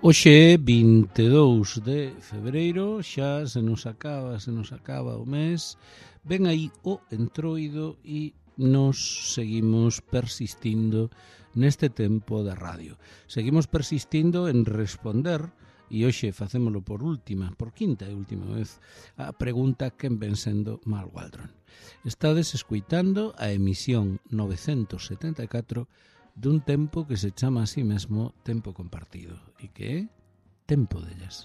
Hoxe é 22 de febreiro, xa se nos acaba o mes, ven aí o entroido e nos seguimos persistindo neste tempo de radio. Seguimos persistindo en responder, e hoxe facémolo por quinta e última vez, a pregunta quen ven sendo Mal Waldron. Estades escuitando a emisión 974 dun tempo que se chama a sí mesmo tempo compartido e que é Tempo de Jazz.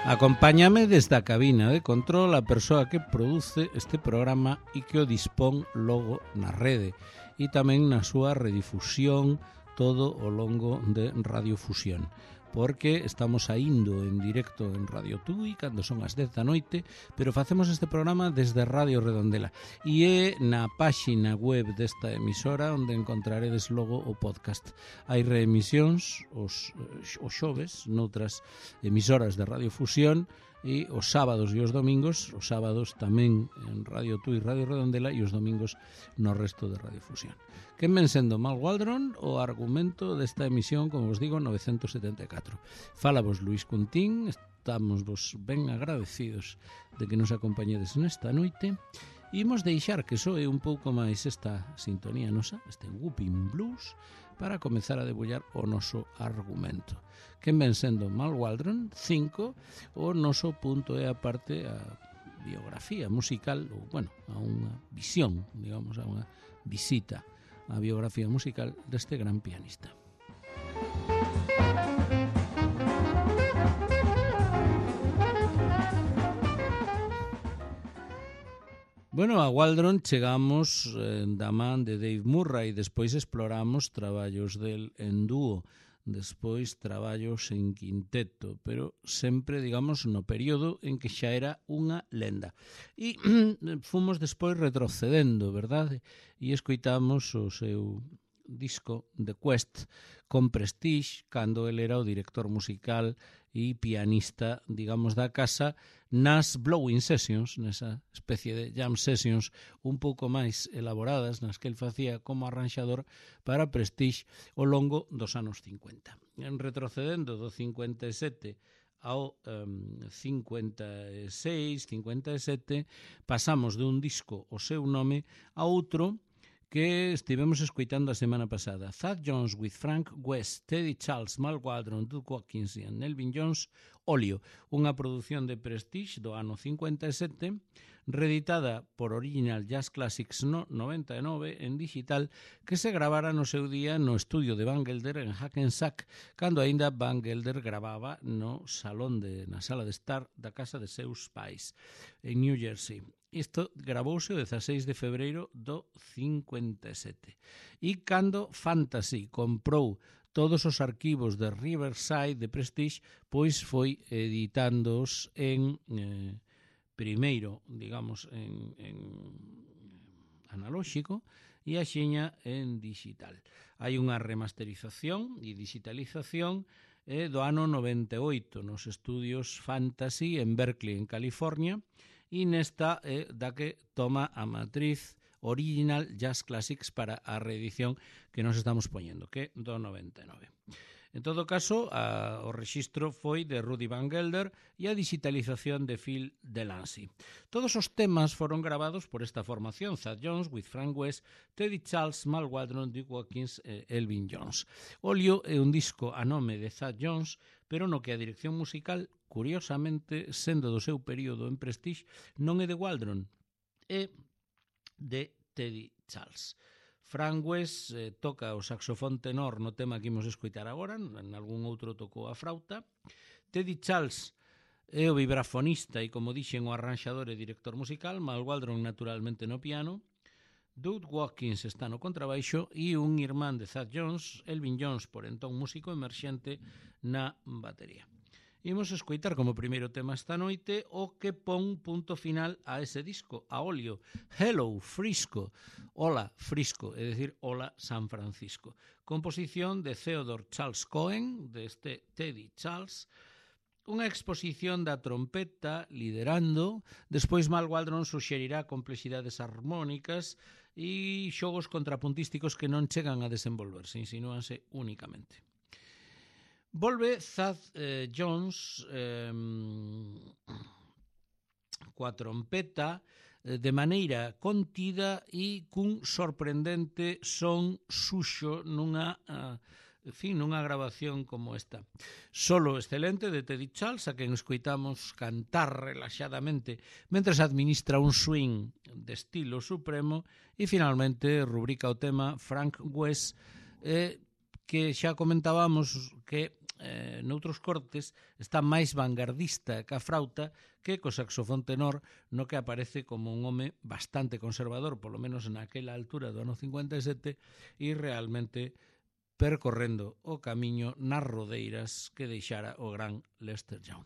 Acompáñame desde a cabina de control a persoa que produce este programa e que o dispón logo na rede e tamén na súa redifusión todo o longo de Radiofusión, porque estamos saindo en directo en Radio Tui cando son as 10 da noite, pero facemos este programa desde Radio Redondela e é na páxina web desta emisora onde encontraredes logo o podcast. Hai reemisións os xoves noutras emisoras de Radiofusión e os sábados e os domingos, os sábados tamén en Radio Tui, Radio Redondela e os domingos no resto de Radiofusión. Quen ven sendo Mal Waldron, o argumento desta emisión, como vos digo, 974. Fala vos Luís Cuntín, estamos vos ben agradecidos de que nos acompañedes nesta noite e imos deixar que soe un pouco máis esta sintonía nosa, este Whooping Blues, para comezar a debullar o noso argumento. Quen ven sendo Mal Waldron, 5, o noso punto é aparte a biografía musical, ou, bueno, a unha visión, digamos, a unha visita a biografía musical deste gran pianista. Bueno, a Waldron chegamos da man de Dave Murray, despois exploramos traballos del en dúo, despois traballos en quinteto, pero sempre, digamos, no período en que xa era unha lenda. E fomos despois retrocedendo, verdade? E escoitamos o seu disco The Quest con Prestige, cando ele era o director musical e pianista, digamos, da casa, nas Blowing Sessions, nesa especie de jam sessions un pouco máis elaboradas, nas que el facía como arranxador para Prestige ao longo dos anos 50. En retrocedendo do 57 ao 56, 57, pasamos dun disco o seu nome a outro que estivemos escoitando a semana pasada. Thad Jones with Frank West, Teddy Charles, Mal Waldron, Duke Watkins e Elvin Jones, Olio, unha produción de Prestige do ano 57, reeditada por Original Jazz Classics no 99 en digital, que se gravara no seu día no estudio de Van Gelder en Hackensack, cando aínda Van Gelder gravaba na sala de estar da casa de seus pais en New Jersey. Isto gravouse o 16 de febreiro do 57. E cando Fantasy comprou todos os arquivos de Riverside de Prestige, pois foi editándoos en primeiro, digamos, en analóxico e axiña en digital. Hai unha remasterización e digitalización do ano 98 nos estudios Fantasy en Berkeley, en California, e nesta é da que toma a matriz Original Jazz Classics para a reedición que nos estamos poñendo, que é do 99. En todo caso, o rexistro foi de Rudy Van Gelder e a digitalización de Phil Delancey. Todos os temas foron gravados por esta formación, Thad Jones with Frank West, Teddy Charles, Mal Waldron, Duke Watkins e Elvin Jones. Olio é un disco a nome de Thad Jones, pero no que a dirección musical, curiosamente, sendo do seu período en Prestige, non é de Waldron, é de Teddy Charles. Frank West toca o saxofón tenor no tema que imos escoitar agora, en algún outro tocou a frauta. Teddy Charles é o vibrafonista e, como dixen, o arranxador e director musical, Mal Waldron naturalmente no piano, Duke Watkins está no contrabaixo e un irmán de Thad Jones, Elvin Jones, por entón músico emerxente, na batería. Imos escoitar como primeiro tema esta noite o que pon punto final a ese disco, a Olio, Hello Frisco, Hola Frisco, é dicir, Hola San Francisco. Composición de Theodore Charles Cohen, deste Teddy Charles, unha exposición da trompeta liderando, despois Mal Waldron suxerirá complexidades armónicas e xogos contrapuntísticos que non chegan a desenvolverse, insinúanse únicamente. Volve Thad Jones coa trompeta de maneira contida e cun sorprendente son suxo nunha grabación como esta. Solo excelente de Teddy Charles, a quen escoitamos cantar relaxadamente mentres administra un swing de estilo supremo, e finalmente rubrica o tema Frank West, que xa comentábamos que noutros cortes está máis vanguardista que a frauta que co saxofón tenor, no que aparece como un home bastante conservador, polo menos naquela altura do ano 57, e realmente percorrendo o camiño nas rodeiras que deixara o gran Lester Young.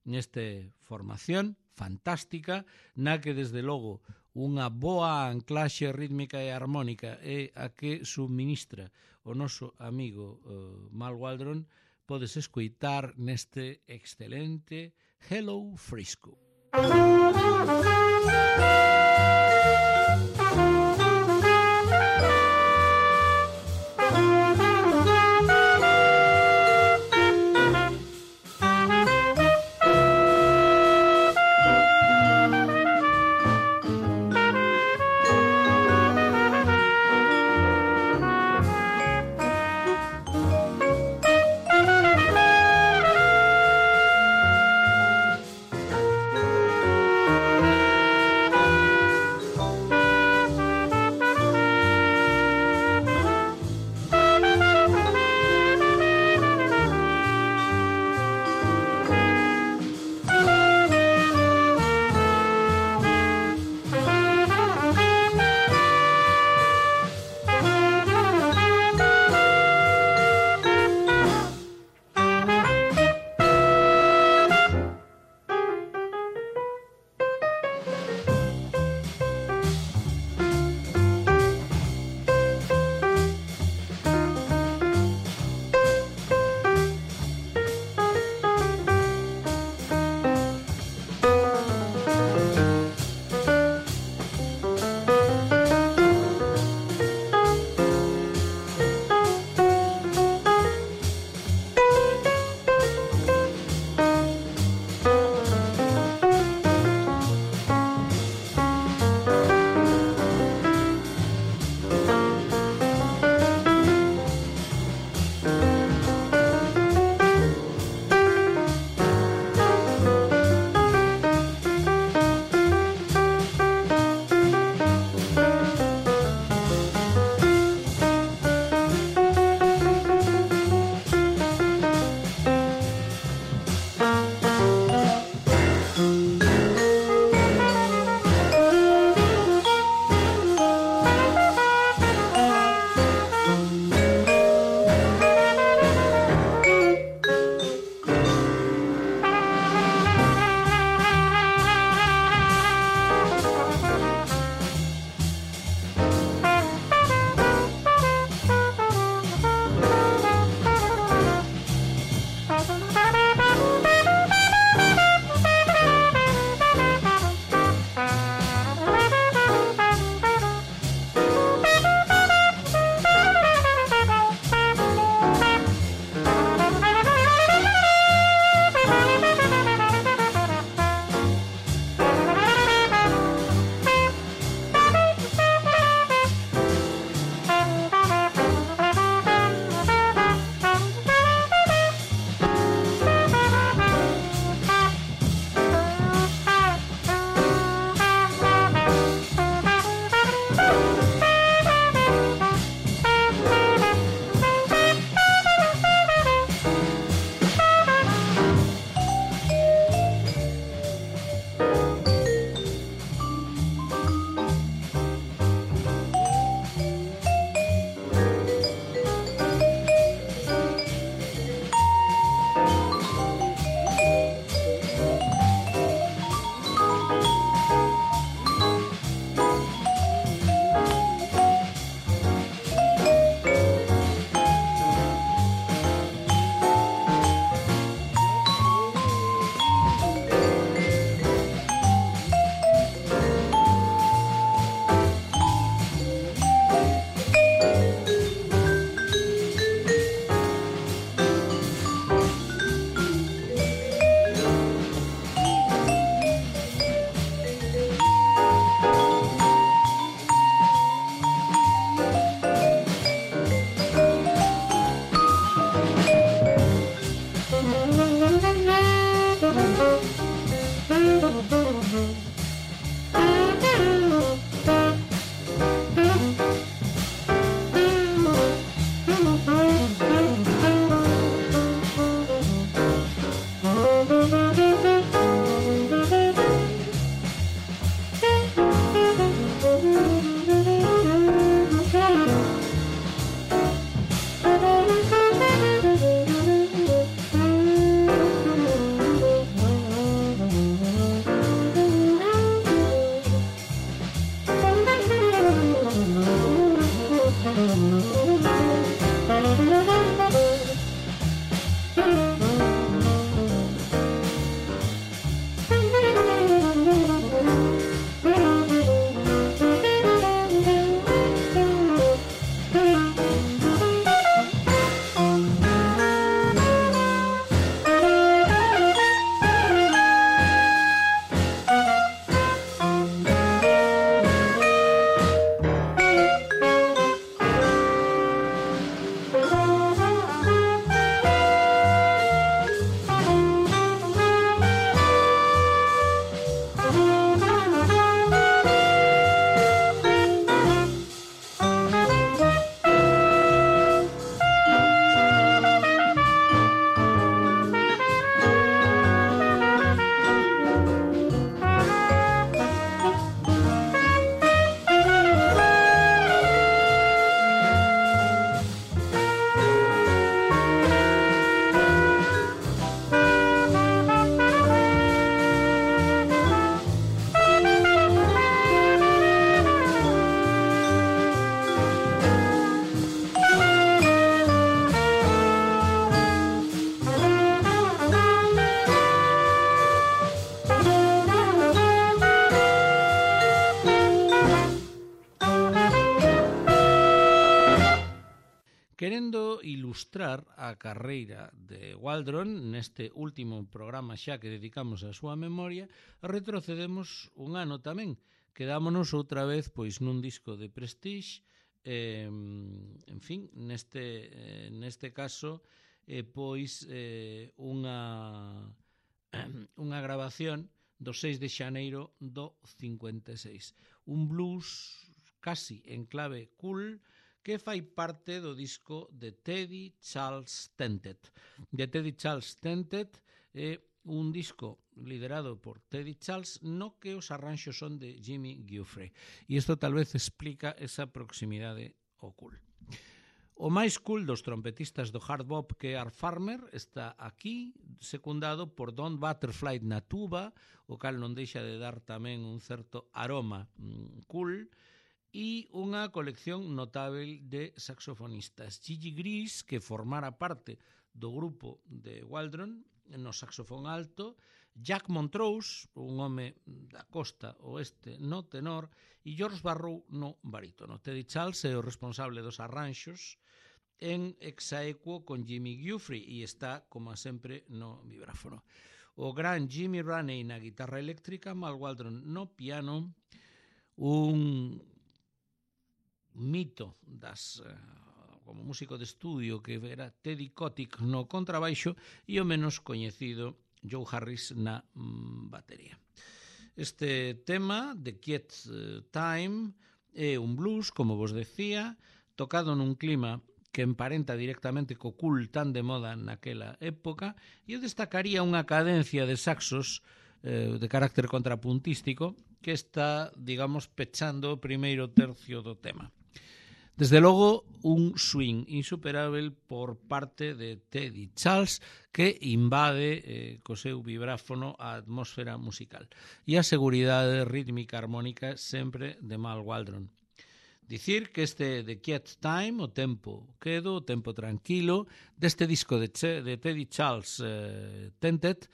Neste formación fantástica, na que desde logo unha boa anclaxe rítmica e armónica é a que subministra o noso amigo Mal Waldron, podes escoitar neste excelente Hello Frisco. querendo ilustrar a carreira de Waldron neste último programa xa que dedicamos á súa memoria, retrocedemos un ano tamén. Quedámonos outra vez pois nun disco de Prestige, en fin, neste caso pois unha grabación do 6 de xaneiro do 56. Un blues casi en clave cool que fai parte do disco de Teddy Charles Tented. De Teddy Charles Tented é un disco liderado por Teddy Charles no que os arranxos son de Jimmy Giuffre. E isto tal vez explica esa proximidade ao cool. O máis cool dos trompetistas do hard bop que Art Farmer está aquí, secundado por Don Butterfly na tuba, o cal non deixa de dar tamén un certo aroma cool, e unha colección notável de saxofonistas. Gigi Gris, que formara parte do grupo de Waldron no saxofón alto, Jack Montrose, un home da costa oeste no tenor, e George Barrow no barítono. Teddy Charles é o responsable dos arranxos en exaequo con Jimmy Giuffre e está, como sempre, no vibráfono. O gran Jimmy Raney na guitarra eléctrica, Mal Waldron no piano, un mito como músico de estudio que era Teddy Kotick no contrabaixo e o menos coñecido Joe Harris na batería. Este tema, The Quiet Time, é un blues, como vos decía, tocado nun clima que emparenta directamente co cool tan de moda naquela época, e eu destacaría unha cadencia de saxos de carácter contrapuntístico que está, digamos, pechando o primeiro tercio do tema. Desde logo, un swing insuperável por parte de Teddy Charles que invade co seu vibráfono a atmósfera musical e a seguridade rítmica armónica sempre de Mal Waldron. Dicir que este The Quiet Time, o tempo quedo, o tempo tranquilo, deste disco de Teddy Charles Tented,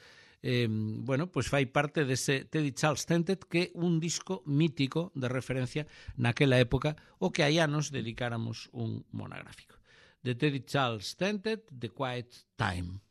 pois fai parte dese Teddy Charles Tented, que é un disco mítico de referencia naquela época, o que hai anos dedicáramos un monográfico. De Teddy Charles Tented, The Quiet Time.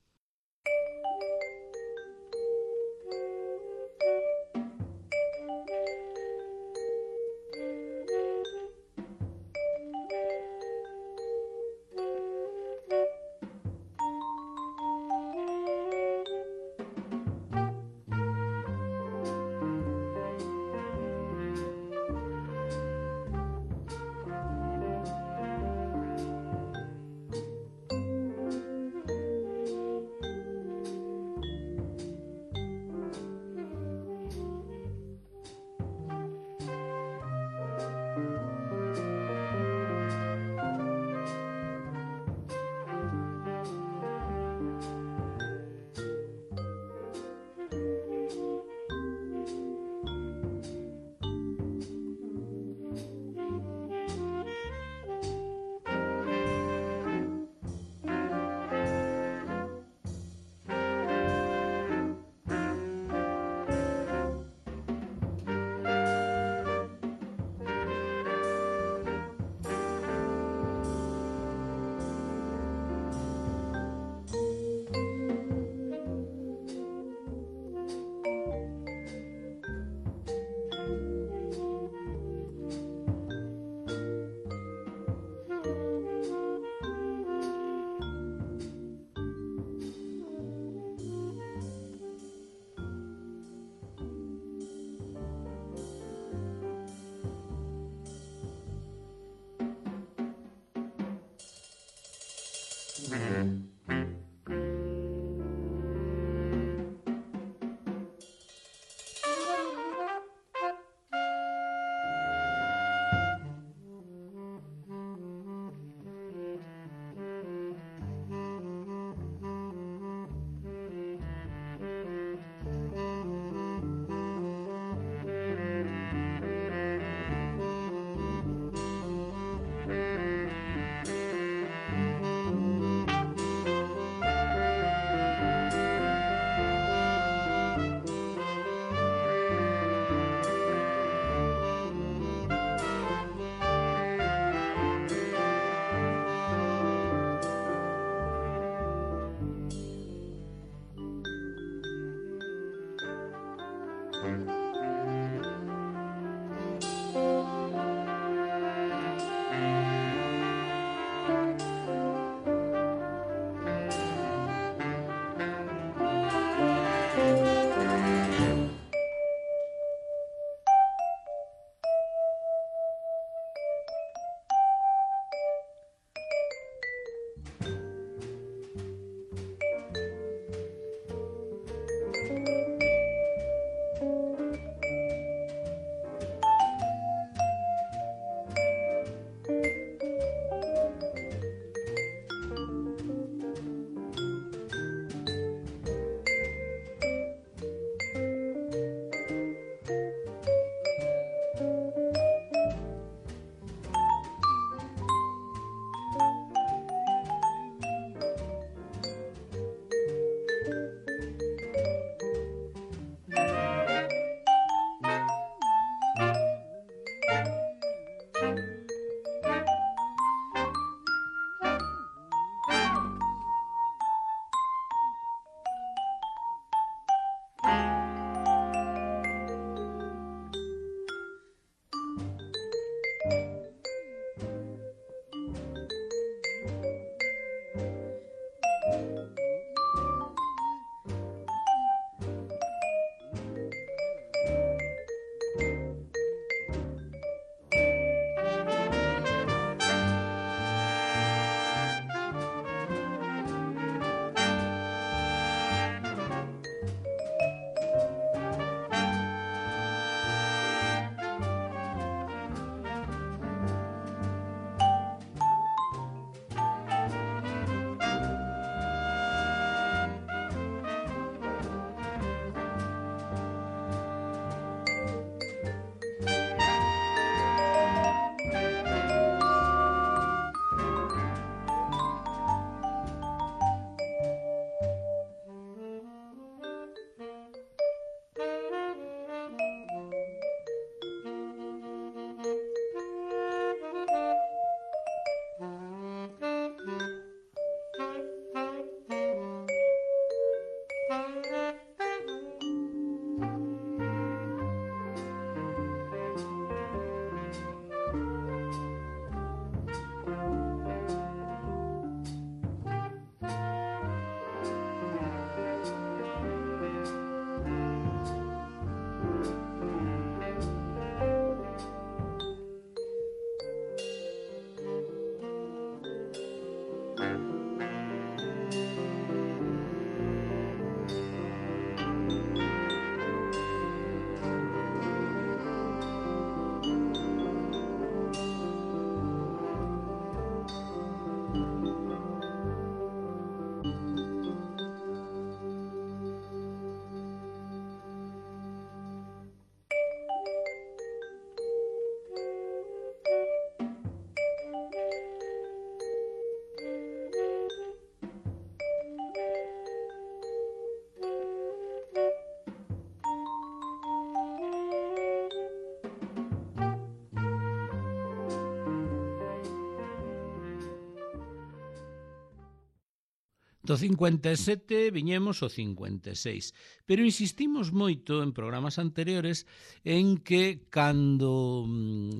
Do 57 viñemos o 56, pero insistimos moito en programas anteriores en que cando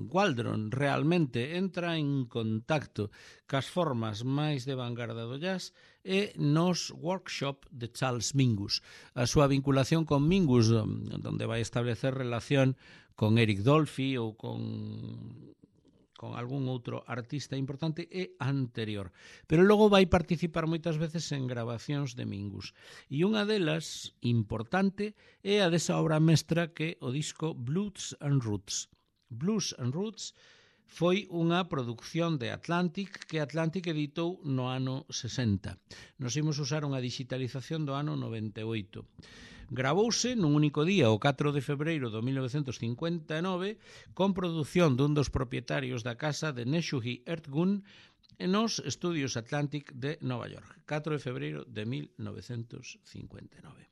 Waldron realmente entra en contacto cas formas máis de vanguarda do jazz é nos workshop de Charles Mingus. A súa vinculación con Mingus, onde vai establecer relación con Eric Dolphy ou con algún outro artista importante é anterior, pero logo vai participar moitas veces en grabacións de Mingus, e unha delas importante é a desa obra mestra que o disco Blues and Roots. Blues and Roots foi unha produción de Atlantic que Atlantic editou no ano 60. Nos imos usar unha digitalización do ano 98. Gravouse nun único día o 4 de febreiro de 1959 con produción dun dos propietarios da casa de Neshuhi Ertgun nos estudios Atlantic de Nova York, 4 de febreiro de 1959.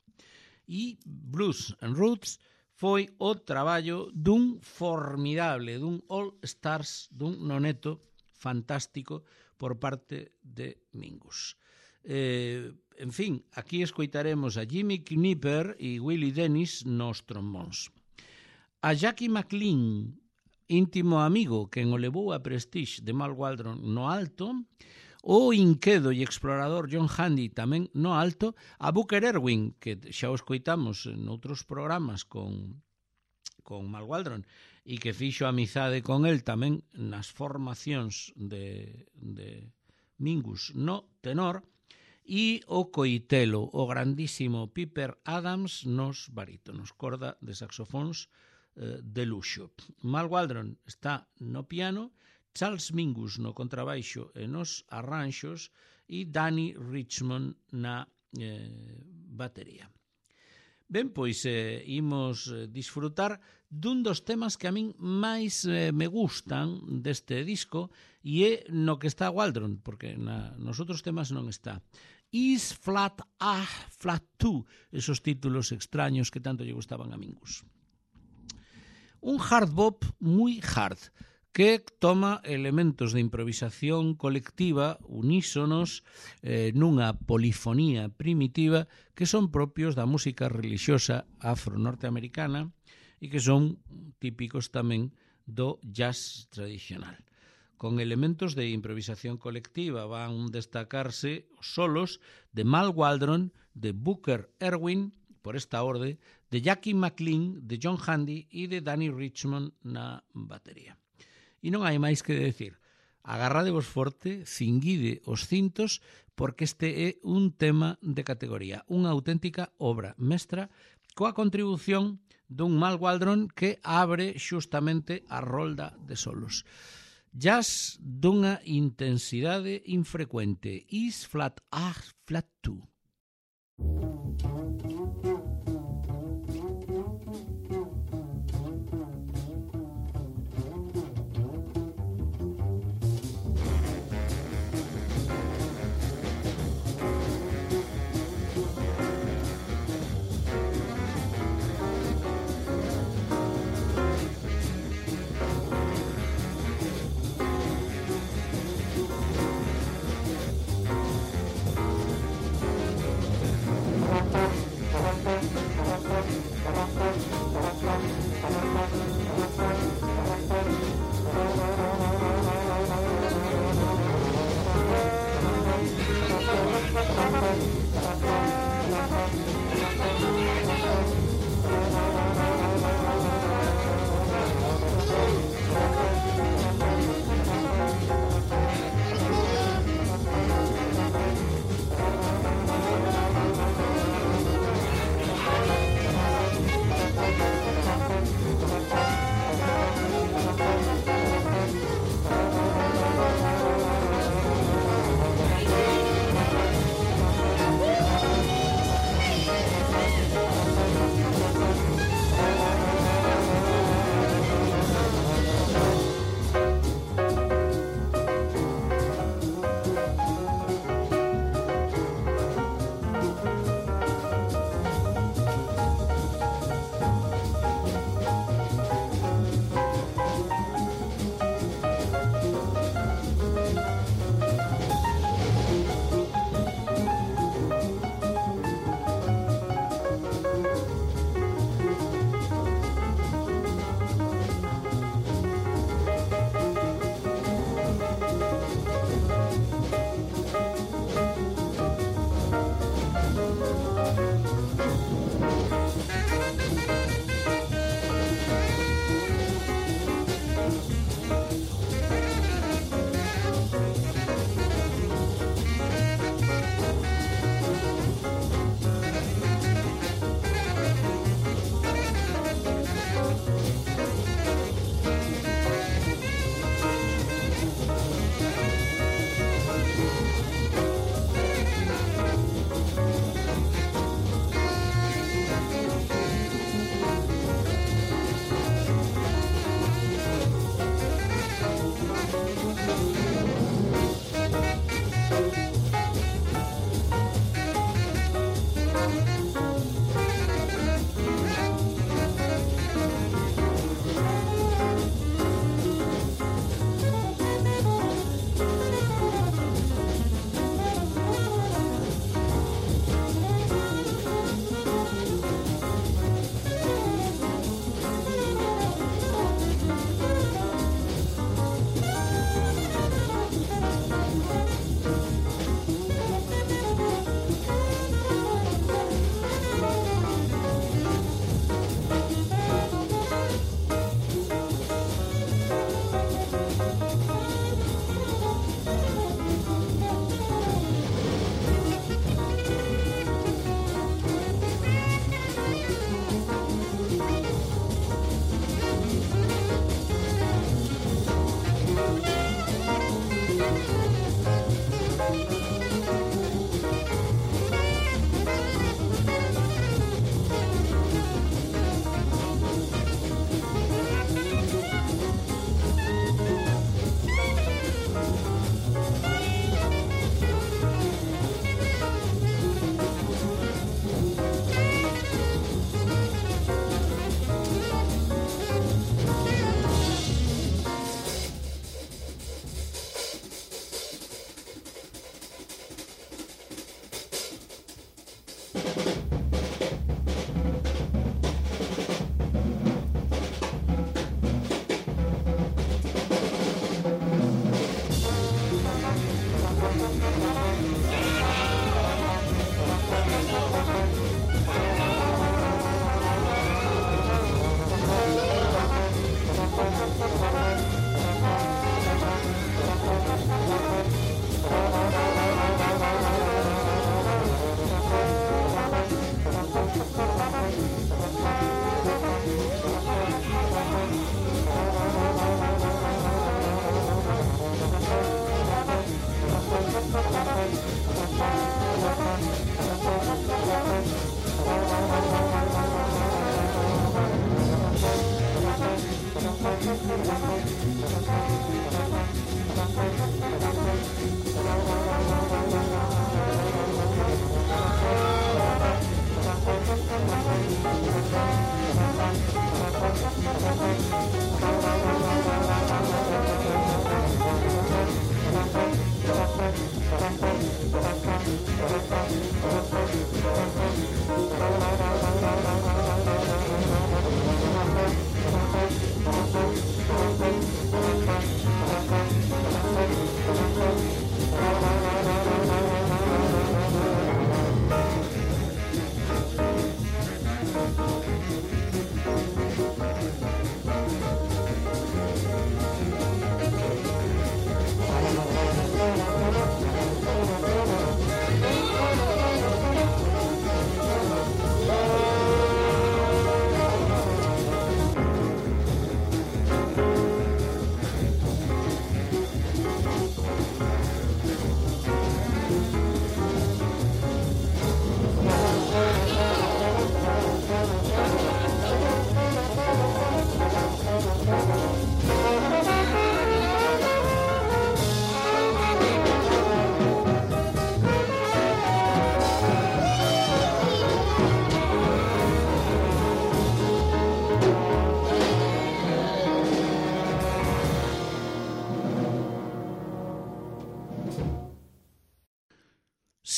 E Blues and Roots foi o traballo dun formidable, dun All Stars, dun noneto fantástico por parte de Mingus. En fin, aquí escoitaremos a Jimmy Knipper e Willie Dennis nos trombóns. A Jackie McLean, íntimo amigo quen o levou a Prestige de Mal Waldron no alto, o inquedo e explorador John Handy tamén no alto, a Booker Erwin, que xa o escoitamos noutros programas con Mal Waldron e que fixo amizade con el tamén nas formacións de Mingus no tenor, e o coitelo, o grandísimo Piper Adams nos barítonos, corda de saxofóns de luxo. Mal Waldron está no piano, Charles Mingus no contrabaixo e nos arranxos e Danny Richmond na batería. Ben, pois imos disfrutar dun dos temas que a min máis me gustan deste disco e é no que está Waldron, porque nos outros temas non está. Is Flat A, Flat 2, esos títulos extraños que tanto lle gustaban a Mingus. Un hard bop moi hard, que toma elementos de improvisación colectiva unísonos nunha polifonía primitiva que son propios da música relixiosa afro-norteamericana e que son típicos tamén do jazz tradicional. Con elementos de improvisación colectiva van destacarse os solos de Mal Waldron, de Booker Erwin, por esta orde, de Jackie McLean, de John Handy e de Danny Richmond na batería. E non hai máis que decir. Agarradevos forte, cinguide os cintos, porque este é un tema de categoría, unha auténtica obra mestra coa contribución dun Mal Waldron que abre xustamente a rolda de solos. Jazz dunha intensidade infrecuente. Is Flat A, Flat 2.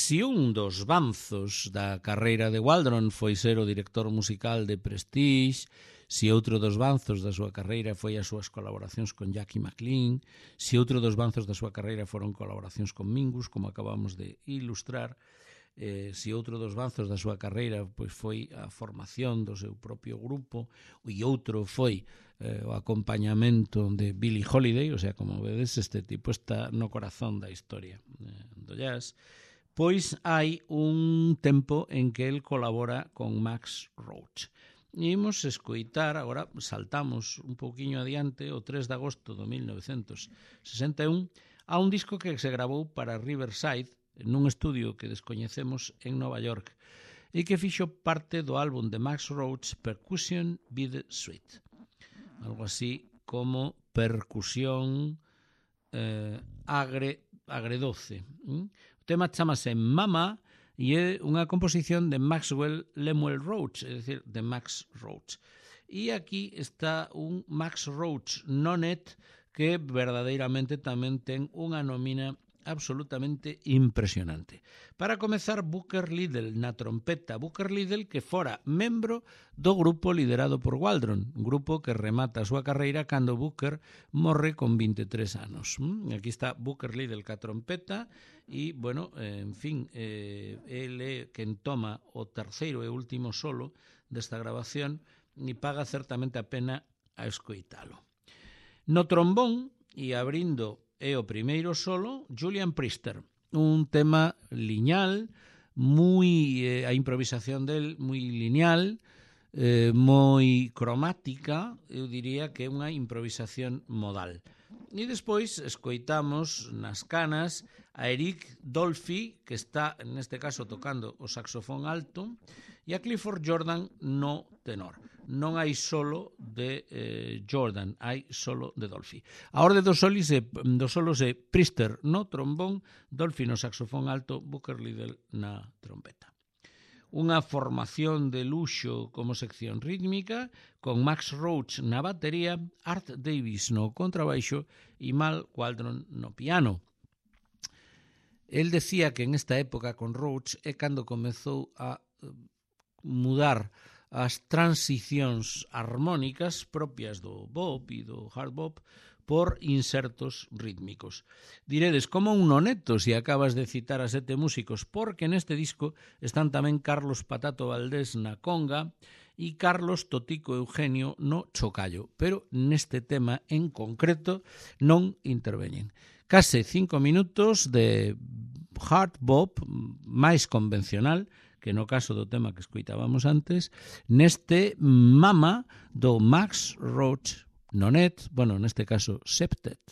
Si un dos banzos da carreira de Waldron foi ser o director musical de Prestige, si outro dos banzos da súa carreira foi as súas colaboracións con Jackie McLean, si outro dos banzos da súa carreira foron colaboracións con Mingus, como acabamos de ilustrar, si outro dos banzos da súa carreira pois foi a formación do seu propio grupo, e outro foi o acompañamento de Billie Holiday, o sea, como vedes, este tipo está no corazón da historia do jazz. Pois hai un tempo en que el colabora con Max Roach. Imos escoitar, agora saltamos un pouquiño adiante, o 3 de agosto de 1961, a un disco que se gravou para Riverside, nun estudio que descoñecemos en Nova York, e que fixo parte do álbum de Max Roach, Percussion with Sweet. Algo así como percusión agredoce. O tema chamase Mama e é unha composición de Maxwell Lemuel Roach, é dicir, de Max Roach. E aquí está un Max Roach nonet que verdadeiramente tamén ten unha nómina absolutamente impresionante. Para comezar, Booker Liddell na trompeta. Booker Liddell que fora membro do grupo liderado por Waldron, un grupo que remata a súa carreira cando Booker morre con 23 anos. Aquí está Booker Liddell ca trompeta e, bueno, en fin, ele quen toma o terceiro e último solo desta grabación e paga certamente a pena a escoitalo. No trombón, e abrindo é o primeiro solo, Julian Priester, un tema lineal, a improvisación del moi lineal, moi cromática, eu diría que é unha improvisación modal. E despois escoitamos nas canas a Eric Dolphy, que está neste caso tocando o saxofón alto, e a Clifford Jordan no tenor. Non hai solo de Jordan, hai solo de Dolphy. A orde dos solos é Priester no trombón, Dolphy no saxofón alto, Booker Liddell na trompeta. Unha formación de luxo como sección rítmica, con Max Roach na batería, Art Davis no contrabaixo e Mal Waldron no piano. El decía que en esta época con Roach é cando comezou a mudar as transicións armónicas propias do bop e do hard bop por insertos rítmicos. Diredes, como un noneto se acabas de citar a 7 músicos, porque neste disco están tamén Carlos Patato Valdés na conga e Carlos Totico Eugenio no chocallo, pero neste tema en concreto non interveñen. Case 5 minutos de hard bop máis convencional, que no caso do tema que escoitábamos antes, neste Mama do Max Roach nonet, bueno, neste caso septet.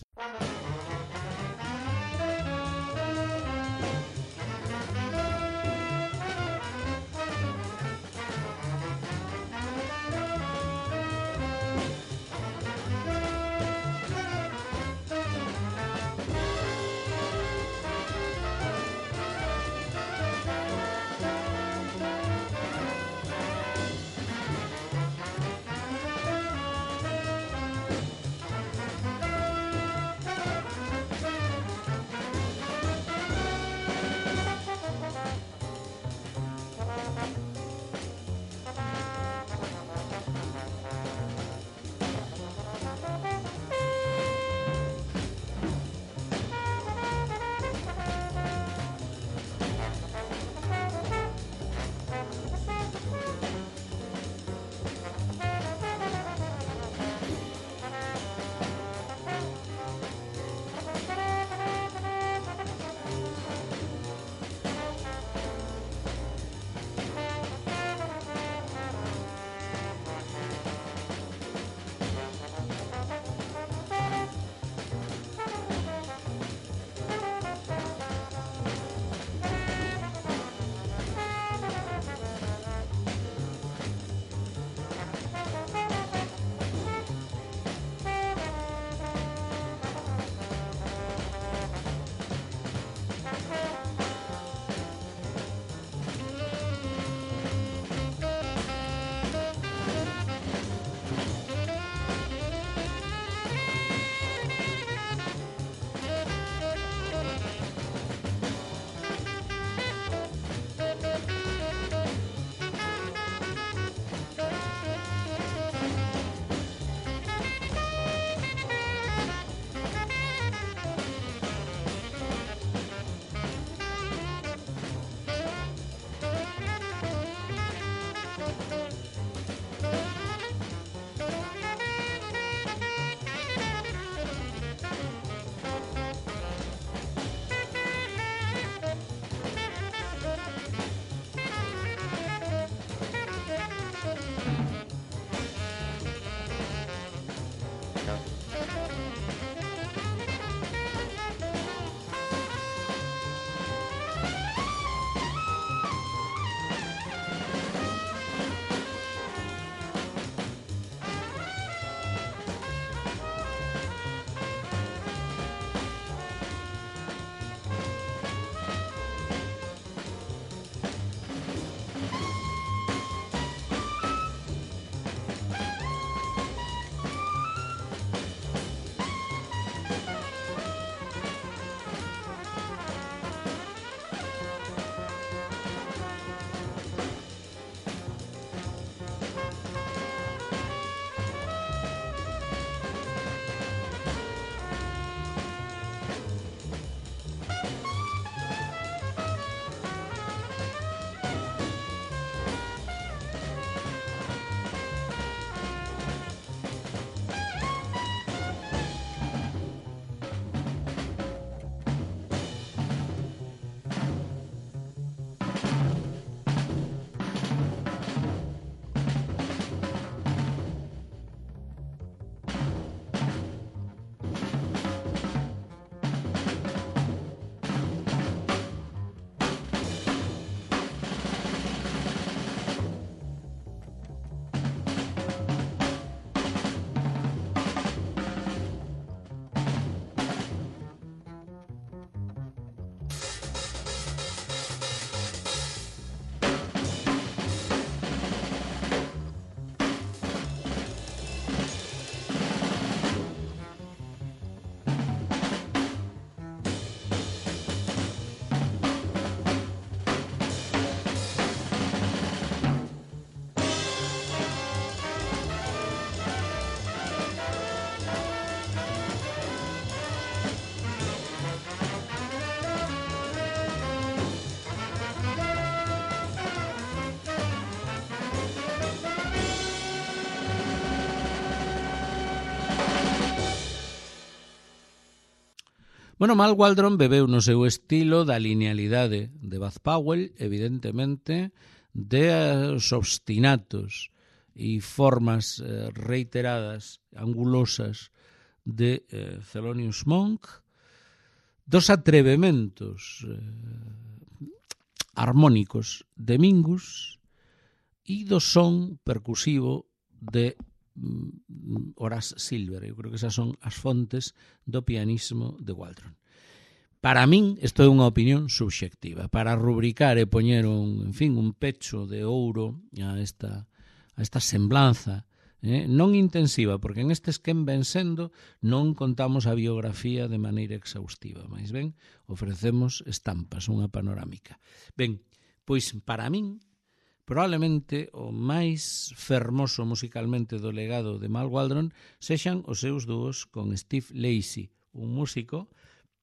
Bueno, Mal Waldron bebeu no seu estilo da linealidade de Buzz Powell, evidentemente, dos obstinatos e formas reiteradas, angulosas de Thelonious Monk, dos atrevementos armónicos de Mingus e do son percusivo de Horace Silver. Eu creo que esas son as fontes do pianismo de Waldron. Para min, isto é unha opinión subxectiva, para rubricar e poñer un pecho de ouro a esta semblanza, non intensiva, porque en estes quen ven sendo non contamos a biografía de maneira exhaustiva, máis ben ofrecemos estampas, unha panorámica. Ben, pois para min, probablemente o máis fermoso musicalmente do legado de Mal Waldron sexan os seus dúos con Steve Lacy, un músico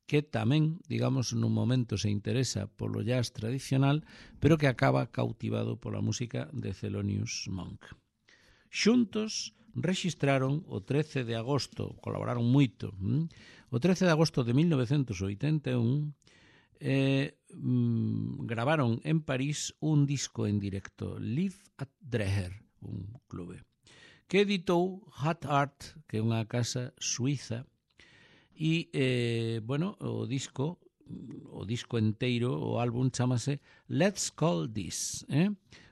que tamén, digamos, nun momento se interesa polo jazz tradicional, pero que acaba cautivado pola música de Thelonious Monk. Xuntos rexistraron o 13 de agosto, colaboraron moito, o 13 de agosto de 1981, gravaron en París un disco en directo, Live at Dreher, un clube, que editou Hot Art, que é unha casa suiza. E, o disco enteiro, o álbum chamase Let's Call This,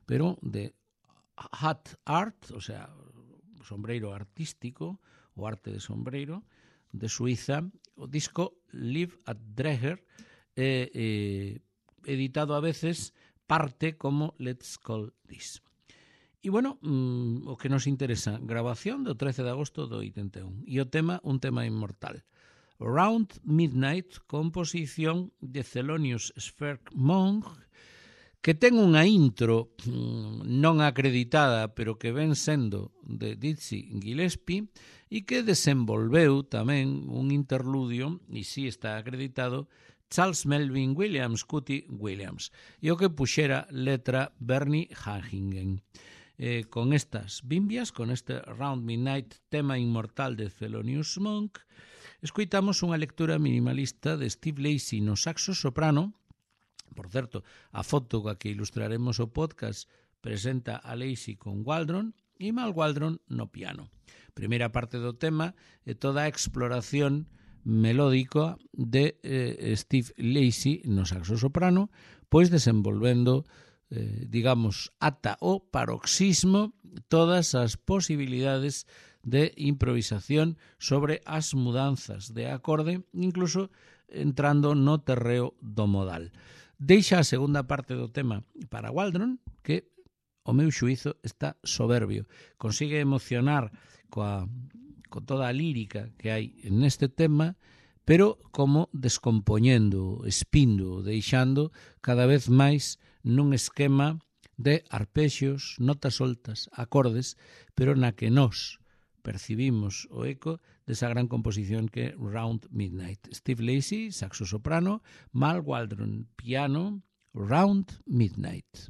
pero de Hot Art, o sea, sombreiro artístico, o arte de sombreiro, de Suiza, o disco Live at Dreher, editado a veces parte como Let's Call This. E, o que nos interesa, grabación do 13 de agosto do 81, e o tema, un tema inmortal. Round Midnight, composición de Thelonious Monk, que ten unha intro non acreditada, pero que ven sendo de Dizzy Gillespie, e que desenvolveu tamén un interludio, e si está acreditado, Charles Melvin Williams, Cootie Williams, e o que puxera letra Bernie Hanningen. Con estas bimbias, con este Round Midnight, tema inmortal de Thelonious Monk, escoitamos unha lectura minimalista de Steve Lacy no saxo soprano. Por certo, a foto coa que ilustraremos o podcast presenta a Lacy con Waldron e Mal Waldron no piano. Primeira parte do tema é toda a exploración melódica de Steve Lacy no saxo soprano, pois desenvolvendo, digamos, ata o paroxismo todas as posibilidades de improvisación sobre as mudanzas de acorde, incluso entrando no terreo do modal. Deixa a segunda parte do tema para Waldron, que, o meu xuízo, está soberbio. Consigue emocionar con toda a lírica que hai neste tema, pero como descompoñendo, espindo, deixando cada vez máis nun esquema de arpexios, notas soltas, acordes, pero na que nós percibimos o eco desa gran composición que é Round Midnight. Steve Lacy, saxo soprano, Mal Waldron, piano, Round Midnight.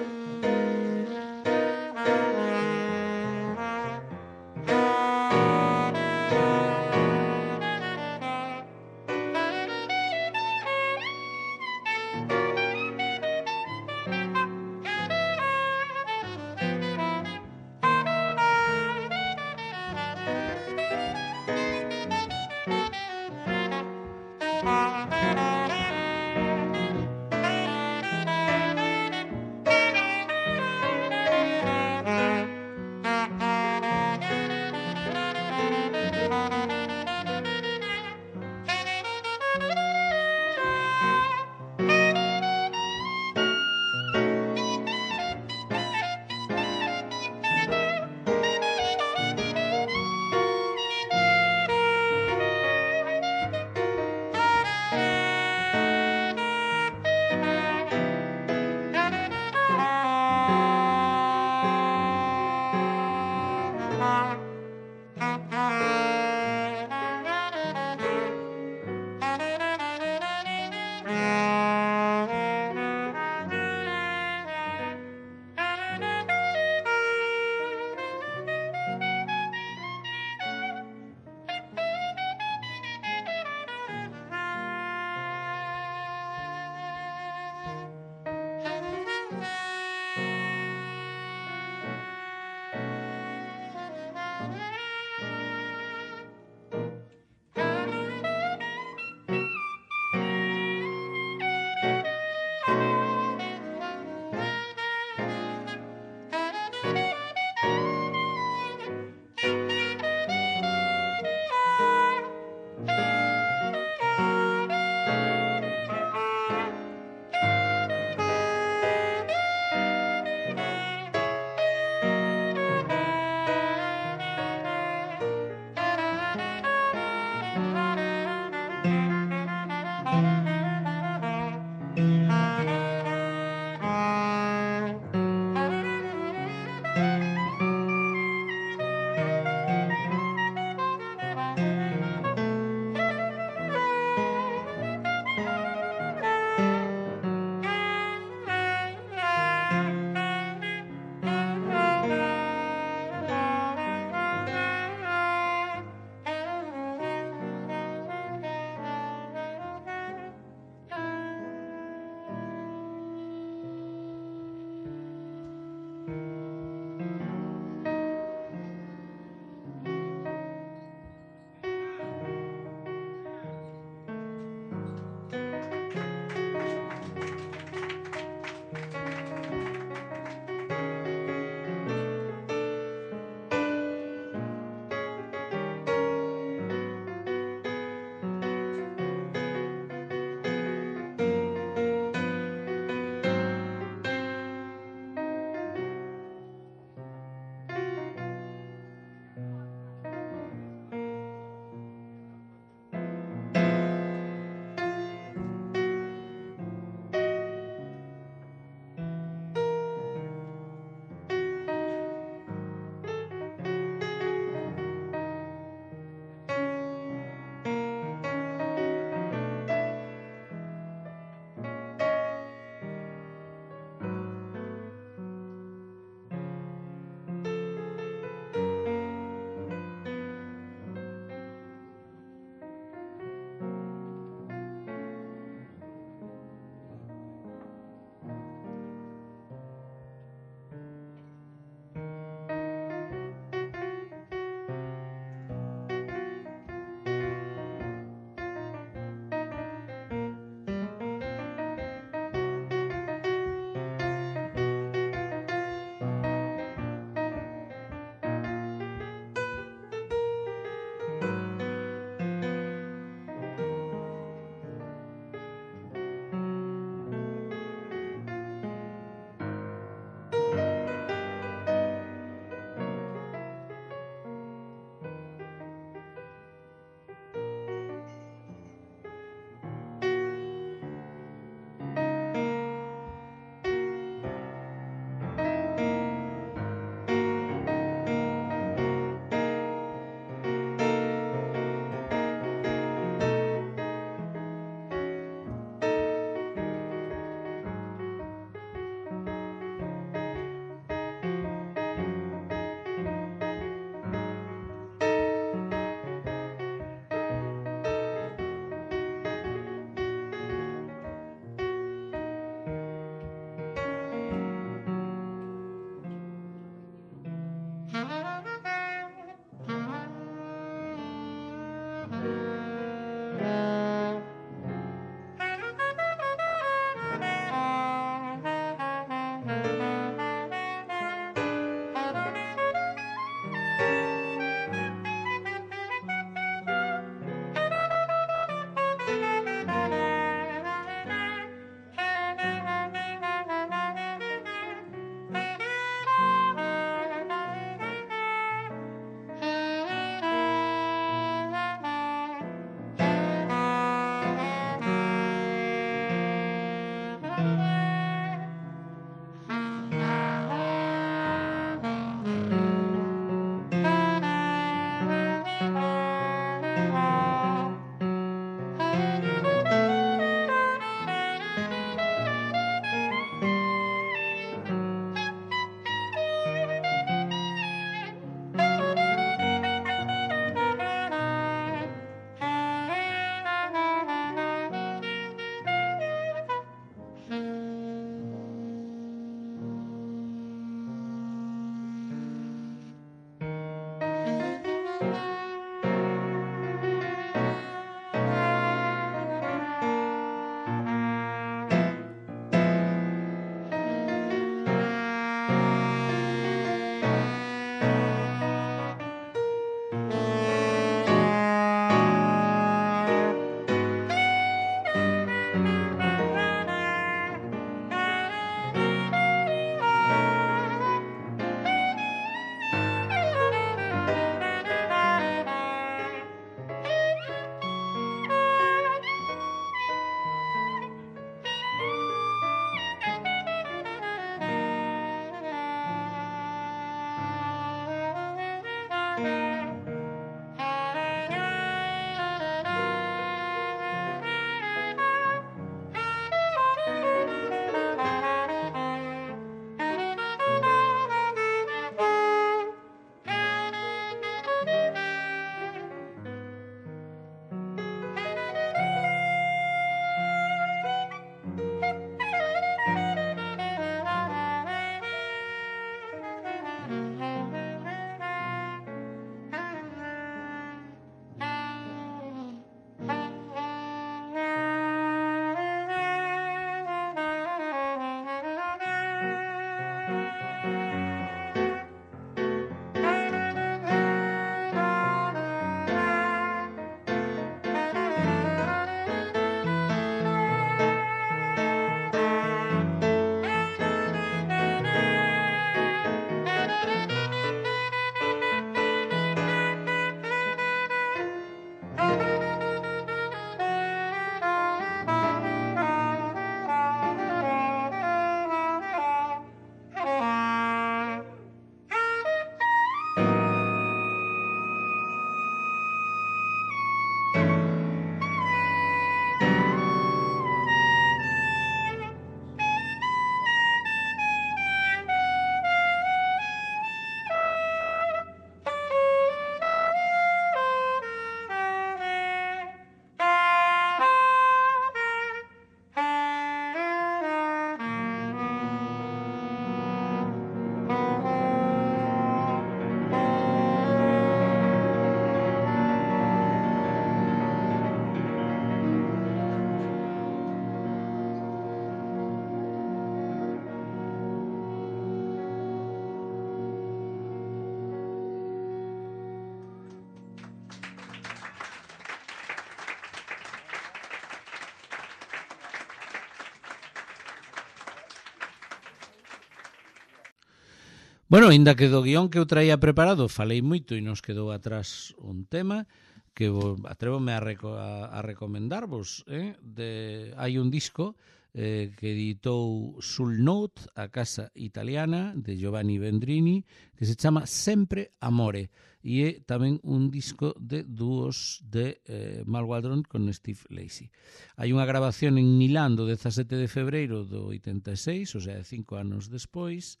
Bueno, ainda que do guión que eu traía preparado falei moito e nos quedou atrás un tema que atrévome a recomendarvos. Hai un disco que editou Sul Note, a casa italiana de Giovanni Vendrini, que se chama Sempre Amore, e é tamén un disco de dúos de Mal Waldron con Steve Lacy. Hai unha grabación en Milán do 17 de febreiro do 86, o sea, 5 anos despois,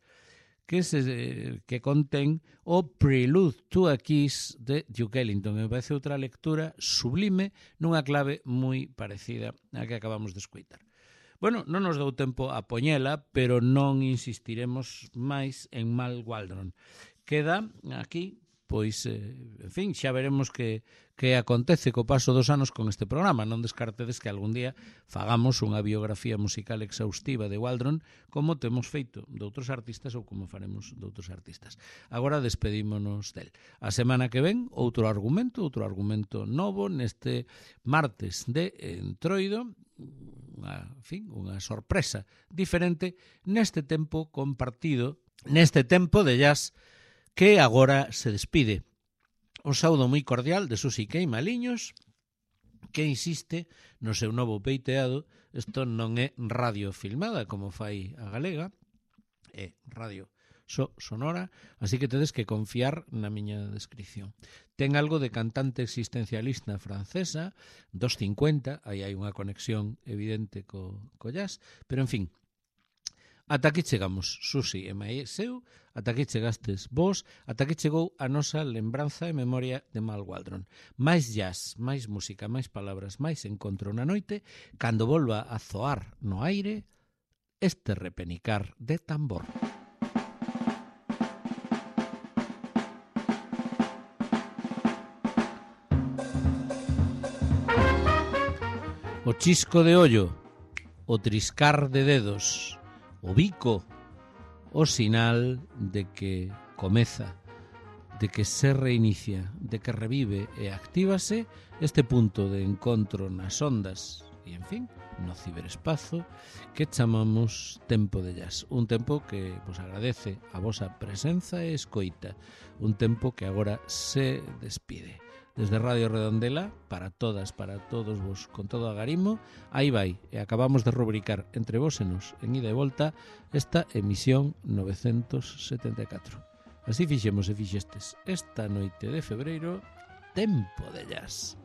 que contén o Prelude to a Kiss de Duke Ellington. Me parece outra lectura sublime nunha clave moi parecida a que acabamos de escoitar. Bueno, non nos dou tempo a poñela, pero non insistiremos máis en Mal Waldron. Queda aquí, pois, en fin, xa veremos que acontece co paso dos anos con este programa. Non descartedes que algún día fagamos unha biografía musical exhaustiva de Waldron, como temos feito de outros artistas ou como faremos de outros artistas. Agora despedímonos del. A semana que ven, outro argumento novo neste martes de Entroido, unha sorpresa diferente neste tempo compartido, neste tempo de jazz que agora se despide. Un saúdo moi cordial de Susi Queimaliños, que insiste no seu novo peiteado. Isto non é radio filmada como fai a galega, é radio sonora, así que tedes que confiar na miña descripción. Ten algo de cantante existencialista francesa, dos 50, aí hai unha conexión evidente co jazz, pero en fin, ata aquí chegamos, Susi e Maeseu, ata aquí chegastes vos, ata aquí chegou a nosa lembranza e memoria de Mal Waldron. Mais jazz, máis música, máis palabras, máis encontro na noite, cando volva a zoar no aire este repenicar de tambor. O chisco de ollo, o triscar de dedos, o bico, o sinal de que comeza, de que se reinicia, de que revive e actívase este punto de encontro nas ondas e, en fin, no ciberespazo que chamamos tempo de jazz. Un tempo que vos agradece a vosa presenza e escoita. Un tempo que agora se despide. Desde Radio Redondela, para todas, para todos vos, con todo agarimo, aí vai, e acabamos de rubricar entre vos e nos, en ida e volta, esta emisión 974. Así fixemos e fixestes esta noite de febreiro, tempo de jazz.